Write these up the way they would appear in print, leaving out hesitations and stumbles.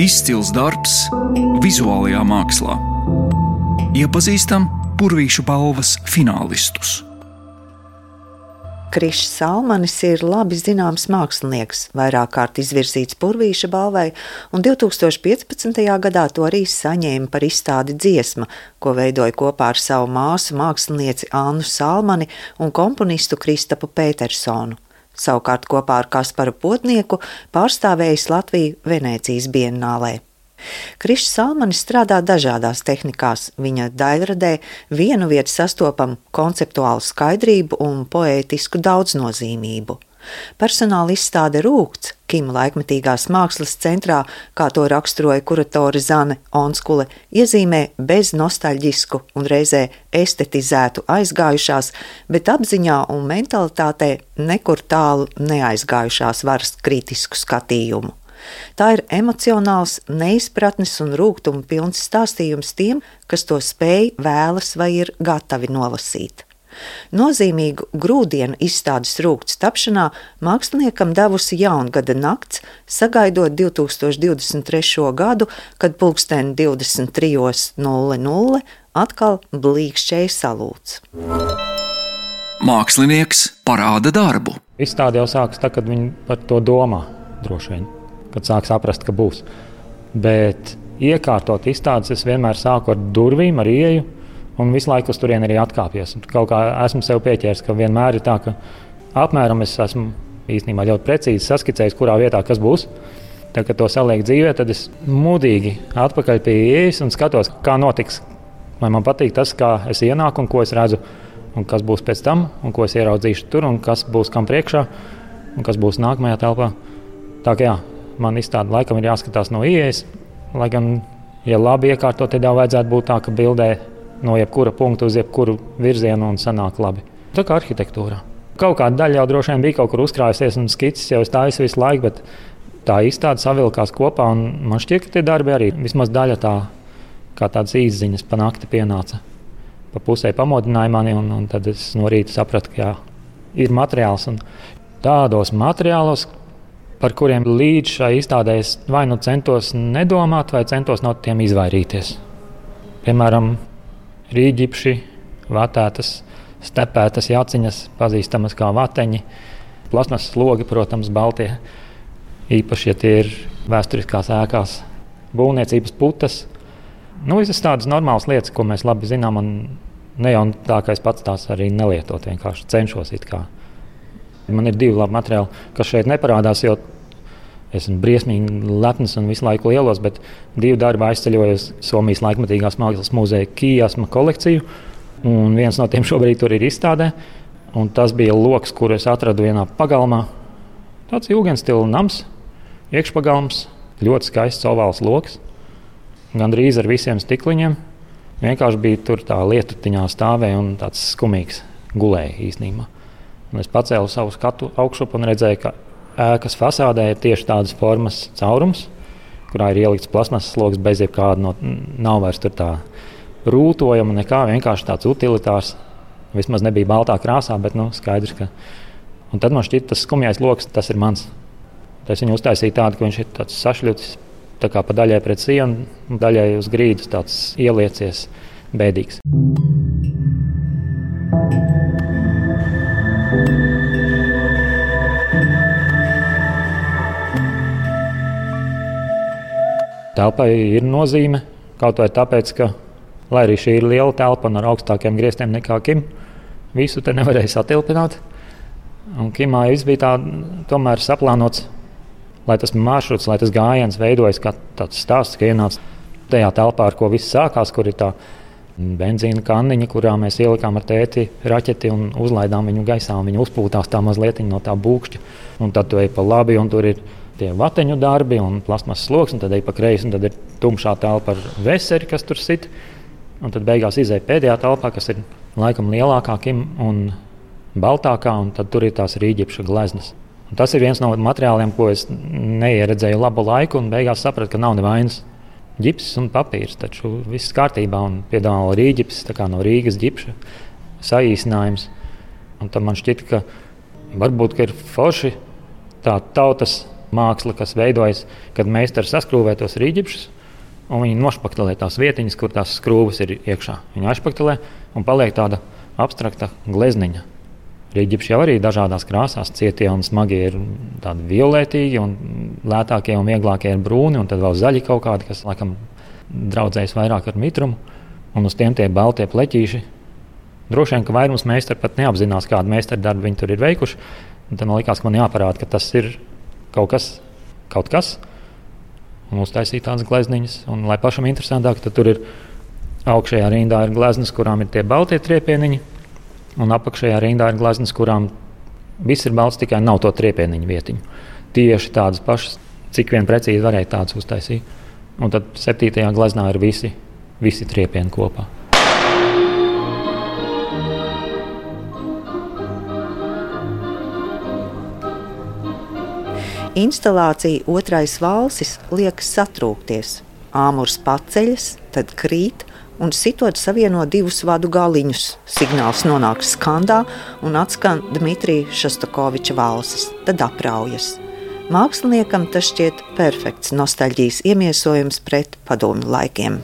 Izcils darbs vizuālajā mākslā. Iepazīstam Purvīšu balvas finālistus. Krišs Salmanis ir labi zināms mākslinieks, vairāk kārt izvirzīts Purvīša balvai, un 2015. gadā to arī saņēma par izstādi Dziesma, ko veidoja kopā ar savu māsu mākslinieci Annu Salmani un komponistu Kristapu Pētersonu. Savukārt kopā ar Kasparu Potnieku pārstāvējis Latviju Venēcijas biennālē. Krišs Salmanis strādā dažādās tehnikās. Viņa daļradē vienu vietu sastopam konceptuālu skaidrību un poētisku daudznozīmību. Personāla izstāde Rūgts Kima laikmetīgās mākslas centrā, kā to raksturoja kuratore Zane Onskule, iezīmē bez nostalģisku un reizē estetizētu aizgājušās, bet apziņā un mentalitātē nekur tālu neaizgājušās varas kritisku skatījumu. Tā ir emocionāls, neizpratnes un rūgtuma pilns stāstījums tiem, kas to spēj, vēlas vai ir gatavi nolasīt. Nozīmīgu grūdienu izstādes Rūgts tapšanā māksliniekam devusi Jaungada nakts, sagaidot 2023. gadu, kad pulksteni 23:00 atkal blīkšķēja salūts. Mākslinieks parāda darbu. Izstāde jau sākas tā, kad viņi par to domā, droši vien, kad sāk saprast, ka būs. Bet iekārtot izstādes es vienmēr sāku ar durvīm, ar ieeju, un visu laiku uz turieni arī atkāpies. Kaut kā esmu sev pieķēris, ka vienmēr ir tā, ka apmēram es esmu īstenībā ļoti precīzi saskicējis, kurā vietā kas būs. Tad, kad to saliek dzīvē, tad es mudīgi atpakaļ pie ieejas un skatos, kā notiks. Vai man patīk tas, kā es ienāku un ko es redzu, un kas būs pēc tam, un ko es ieraudzīšu tur, un kas būs kam priekšā, un kas būs nākamajā telpā. Tā kā jā, man izstāde laikam ir jāskatās no ieejas, lai gan, ja labi iekārtot, tad jau vajadzētu būt tā, ka bildē no jebkura punkta uz jebkuru virzienu un sanāk labi. Tā kā arhitektūrā. Kaut kāda daļa jau droši vien bija kaut kur uzkrājusies un skicis jau stājas visu laiku, bet tā izstāde savilkās kopā un man šķiet, ka tie darbi arī vismaz daļa tā, kā tādas īsziņas pa nakti pienāca. Pa pusē pamodināja mani un tad es no rīta sapratu, ka jā, ir materiāls un tādos materiālos, par kuriem līdz šai izstādē es vai nu centos nedomāt, vai centos no tiem izvairīties. Piemēram, rīģipši, vatētas, stepētas jaciņas, pazīstamas kā vateņi, plasmas slogi, protams, baltie, īpaši, ja tie ir vēsturiskās ēkās, būvniecības putas. Visas tādas normālas lietas, ko mēs labi zinām, un ne jau tā, ka es pats tās arī nelietot, vienkārši cenšos it kā. Man ir divi labi materiāli, kas šeit neparādās, jo esmu briesmīgi lepns un visu laiku lielos, bet divi darbi aizceļoju uz Somijas laikmetīgās mākslas muzeja Kijasma kolekciju. Un viens no tiem šobrīd tur ir izstādē. Un tas bija loks, kuru es atradu vienā pagalmā. Tāds jūgenstila nams, iekšpagalms, ļoti skaists ovāls loks. Gandrīz ar visiem stikliņiem. Vienkārši bija tur tā lietutiņā stāvēja un tāds skumīgs gulēja īstenībā. Un es pacēlu savu skatu augšup un redzēju, ka ēkas fasādē ir tieši tādas formas caurums, kurā ir ielikts plasmasas sloks bez jebkāda, nav vairs tur tā rūtojama nekā, vienkārši tāds utilitārs. Vismaz nebija baltā krāsā, bet skaidrs, ka... Un tad man šķiet, tas skumjais loks, tas ir mans. Es viņu uztaisīju tādu, ka viņš ir tāds sašļutis, tā kā pa daļai pret sienu, daļai uz grīdas tāds ieliecies bēdīgs. Telpai ir nozīme, kaut vai tāpēc, ka, lai arī šī ir liela telpa un ar augstākiem griestiem nekā Kim, visu te nevarēja satilpināt. Un Kimā viss bija tā, tomēr saplānots, lai tas maršruts, lai tas gājiens veidojas kā tāds stāsts, ka ienāc tajā telpā, ar ko viss sākās, kur ir tā benzīna kanniņa, kurā mēs ielikām ar tēti raķeti un uzlaidām viņu gaisā, un viņu uzpūtās tā mazlietiņa no tā būkšķa. Un tad tu ej pa labi, un tur ir tie vateņu darbi un plasmas sloks, un tad ej pa kreisi, un tad ir tumšā telpa ar veseri, kas tur sit. Un tad beigās izej pēdējā telpā, kas ir laikam lielākā un baltākā, un tad tur ir tās rīģipša gleznas. Un tas ir viens no materiāliem, ko es neieredzēju labu laiku, un beigās sapratu, ka nav nevainas. Ģipss un papīrs, taču viss kārtībā, un piedāvā rīģips, tā kā no Rīgas ģipša saīsinājums. Un tad man šķita, ka varbūt ka ir forši tā tautas māksla, kas veidojas, kad meistars saskrūvē tos rīģipšus, un viņi nošpaktelē tās vietiņas, kur tās skrūves ir iekšā. Viņi aizšpaktelē un paliek tāda abstrakta glezniņa. Rīģipši jau arī dažādās krāsās, cietie un smagie ir tādi violetīgi, un lētākie un vieglākie ir brūni, un tad vēl zaļi kaut kādi, kas laikam draudzējas vairāk ar mitrumu, un uz tiem tie baltie pleķīši. Droši vien, ka vairums meistari pat neapzinās, kādu meistaru darbu viņi tur ir veikuši. Un tad man likās, ka man jāparāda, ka tas ir kaut kas, un uztaisīt tādas glezniņas. Un, lai pašam interesantāk, tad tur ir augšējā rindā ir gleznas, kurām ir tie baltie triepieniņi, un apakšējā rindā ir gleznas, kurām viss ir balts, tikai nav to triepieniņu vietiņu. Tieši tādas pašas, cik vien precīzi varēja tādas uztaisīt. Un tad 7. gleznā ir visi triepieni kopā. Instalācija Otrais valsis liekas satrūkties. Āmurs paceļas, tad krīt un sitot savieno divus vadu galiņus. Signāls nonāk skandā un atskan Dmitrija Šostakoviča valsis, tad apraujas. Māksliniekam tas šķiet perfekts nostalģijas iemiesojums pret padomju laikiem.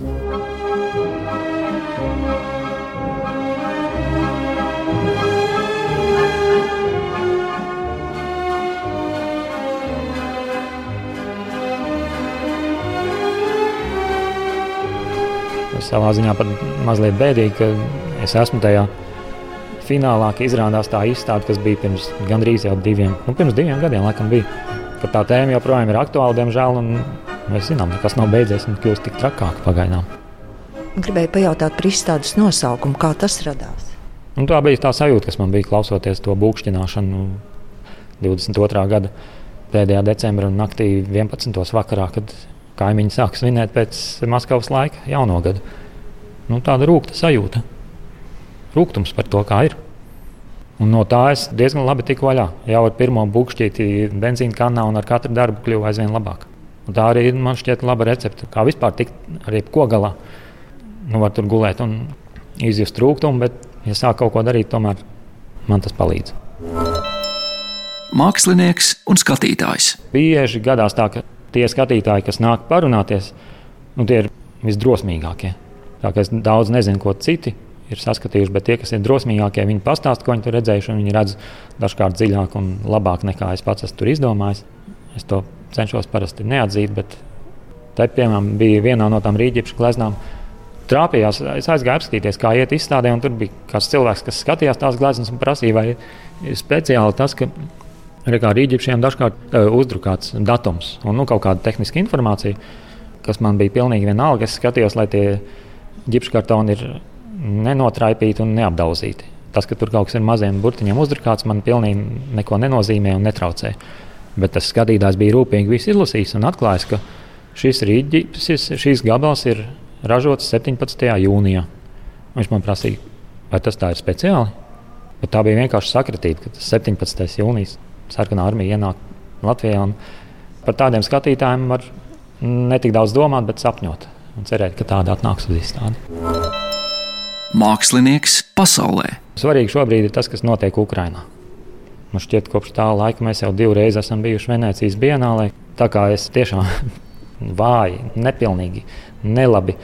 Savā ziņā pat mazliet bēdīgi, ka es esmu tajā finālā, ka izrādās tā izstāde, kas bija pirms gandrīz jau pirms 2 gadiem laikam bija, ka tā tēma joprojām ir aktuāla, diemžēl, un mēs zinām, nekas nav beidzies un kļūst tik trakāk pagaidām. Gribēju pajautāt par izstādes nosaukumu, kā tas radās? Un tā bija tā sajūta, kas man bija klausoties to būkšķināšanu 22. gada pēdējā decembra naktī 11. vakarā, kad kaimiņi sāk svinēt pēc Maskavas laika jauno gadu. Tāda rūgta sajūta. Rūgtums par to, kā ir. Un no tā es diezgan labi tiku vaļā. Jau ar pirmo būkšķīti benzīna kannā un ar katru darbu kļuva aizvien labāk. Un tā arī man šķiet laba recepte. Kā vispār tikt ar jebko galā. Var tur gulēt un izjust rūgtumu, bet, ja sāk kaut ko darīt, tomēr man tas palīdz. Mākslinieks un skatītājs. Bieži gadās tā, ka tie skatītāji, kas nāk parunāties, tie ir visdrosmīgākie. Tā kā es daudz nezinu, ko citi ir saskatījuši, bet tie, kas ir drosmīgākie, viņi pastāsta, ko viņi tur redzējuši, un viņi redz dažkārt dziļāk un labāk nekā es pats esmu tur izdomājis. Es to cenšos parasti neatzīt, bet te, piemēram, bija vienā no tām rīģipšu gleznām. Trāpījās, es aizgāju apskatīties, kā iet izstādē, un tur bija kāds cilvēks, kas skatījās tās gleznas un prasīja, vai speciāli tas, ka kā rīģipšiem dažkārt uzdrukāts datums un kaut kāda tehniska informācija, kas man bija pilnīgi vienalga. Es skatījos, lai tie ģipškartoni ir nenotraipīti un neapdauzīti. Tas, ka tur kaut kas ir maziem burtiņiem uzdrukāts, man pilnīgi neko nenozīmē un netraucē. Bet tas skatītājs bija rūpīgi visu izlasījis un atklājis, ka šis rīģipsis, šīs gabals ir ražots 17. jūnijā. Viņš man prasīja, vai tas tā ir speciāli? Bet tā bija vienkārši sakritība, ka tas 17. jūnijas Sarkanā armija ienāk Latvijā. Par tādiem skatītājiem var ne tik daudz domāt, bet sapņot un cerēt, ka tāda atnāks uz izstādi. Mākslinieks pasaulē. Svarīgi šobrīd ir tas, kas notiek Ukrainā. Man šķiet, kopš tā laika mēs jau 2 reizes esam bijuši Venēcijas bienālē. Tā kā es tiešām vāji, nepilnīgi, nelabi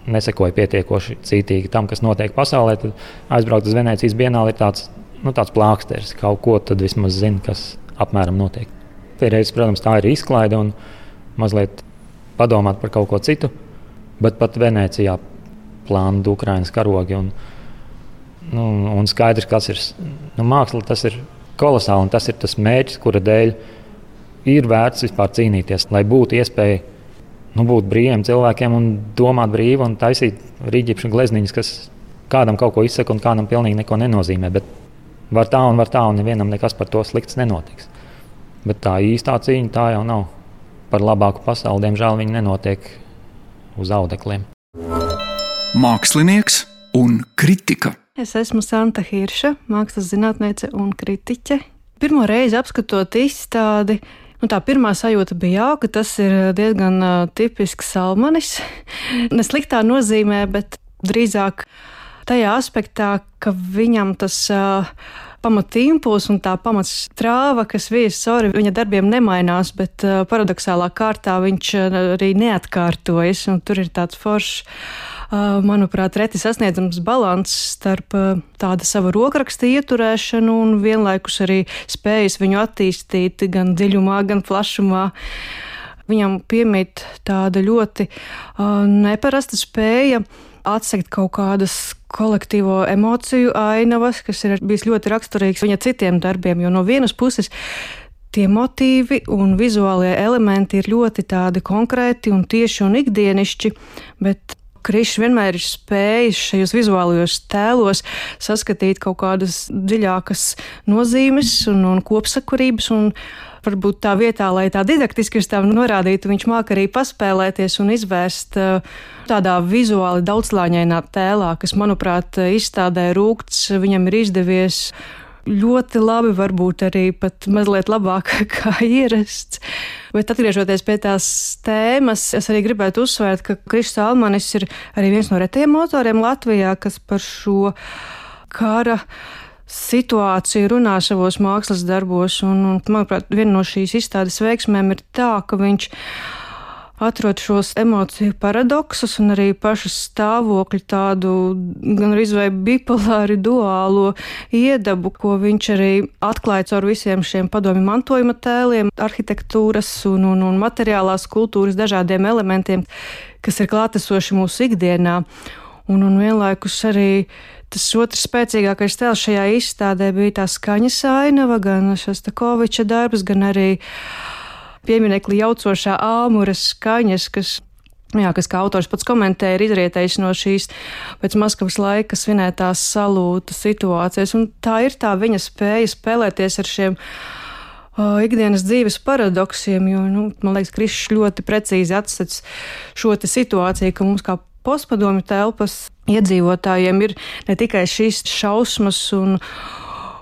nesekoju pietiekoši cītīgi tam, kas notiek pasaulē, tad aizbraukt uz Venēcijas bienāli ir tāds plāksteris, kaut ko tad vismaz zina, kas apmēram notiek. Reiz, protams, tā ir izklaide un mazliet padomāt par kaut ko citu, bet pat Venēcijā plānot Ukrainas karogi un skaidrs, kas ir māksla, tas ir kolosāli un tas ir tas mērķis, kura dēļ ir vērts vispār cīnīties, lai būtu iespēja būt brīviem cilvēkiem un domāt brīvi un taisīt rīģipšu glezniņas, kas kādam kaut ko izsaka un kādam pilnīgi neko nenozīmē. Bet var tā un nevienam nekas par to slikts nenotiks. Bet tā īstā cīņa tā jau nav. Par labāku pasauli, diemžēl, viņi nenotiek uz audekliem. Mākslinieks un kritika. Es esmu Santa Hirša, mākslas zinātniece un kritiķe. Pirmo reizi apskatot izstādi, tā pirmā sajūta bija jauka, tas ir diezgan tipisks Salmanis. Ne sliktā nozīmē, bet drīzāk tajā aspektā, ka viņam tas pamatīmpuls un tā pamatstrāva, kas vies cauri viņa darbiem nemainās, bet paradoxālā kārtā viņš arī neatkārtojas, un tur ir tāds foršs, manuprāt, reti sasniedzams balanss starp tāda sava rokraksta ieturēšanu un vienlaikus arī spējas viņu attīstīt gan dziļumā, gan plašumā. Viņam piemīt tāda ļoti neparasta spēja atsekt kaut kādas kolektīvo emociju ainavas, kas ir bijis ļoti raksturīgs viņa citiem darbiem, jo no vienas puses tie motīvi un vizuālie elementi ir ļoti tādi konkrēti un tieši un ikdienišķi, bet Krišs vienmēr ir spējis šajos vizuālajos tēlos saskatīt kaut kādas dziļākas nozīmes un kopsakarības, un varbūt tā vietā, lai tā didaktiski uz tām norādītu, viņš māk arī paspēlēties un izvērst tādā vizuāli daudzslāņainā tēlā, kas, manuprāt, izstādē Rūkts viņam ir izdevies ļoti labi, varbūt arī pat mazliet labāk kā ierasts. Bet atgriežoties pie tās tēmas, es arī gribētu uzsvērt, ka Krišs Salmanis ir arī viens no retajiem autoriem Latvijā, kas par šo kara situāciju runā savos mākslas darbos. Un, manuprāt, viena no šīs izstādes veiksmēm ir tā, ka viņš atrod šos emociju paradoksus un arī pašu stāvokļu tādu gan arī vai bipolāri duālo iedabu, ko viņš arī atklāja caur visiem šiem padomju mantojuma tēliem, arhitektūras un materiālās kultūras dažādiem elementiem, kas ir klātesoši mūsu ikdienā. Un vienlaikus arī tas otrs spēcīgākais tēls šajā izstādē bija tā skaņas ainava, gan Šostakoviča darbs, gan arī pieminekli jaucošā āmuras skaņas, kas kā autors pats komentē, ir izrietējis no šīs pēc Maskavas laika svinētās salūta situācijas. Un tā ir tā viņa spēja spēlēties ar šiem ikdienas dzīves paradoksiem, jo, man liekas, Krišs ļoti precīzi atstats šo te situāciju, ka mums kā postpadomju telpas iedzīvotājiem ir ne tikai šīs šausmas un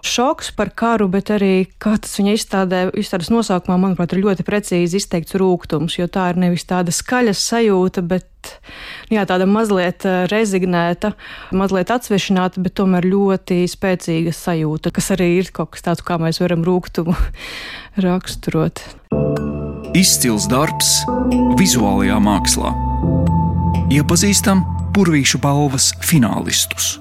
šoks par karu, bet arī, kā tas viņa izstādes nosaukumā, manuprāt, ir ļoti precīzi izteikts rūgtums, jo tā ir nevis tāda skaļas sajūta, bet tāda mazliet rezignēta, mazliet atsvešināta, bet tomēr ļoti spēcīga sajūta, kas arī ir kaut kas tāds, kā mēs varam rūgtumu raksturot. Izcils darbs vizuālajā mākslā. Iepazīstam Purvīšu balvas finālistus.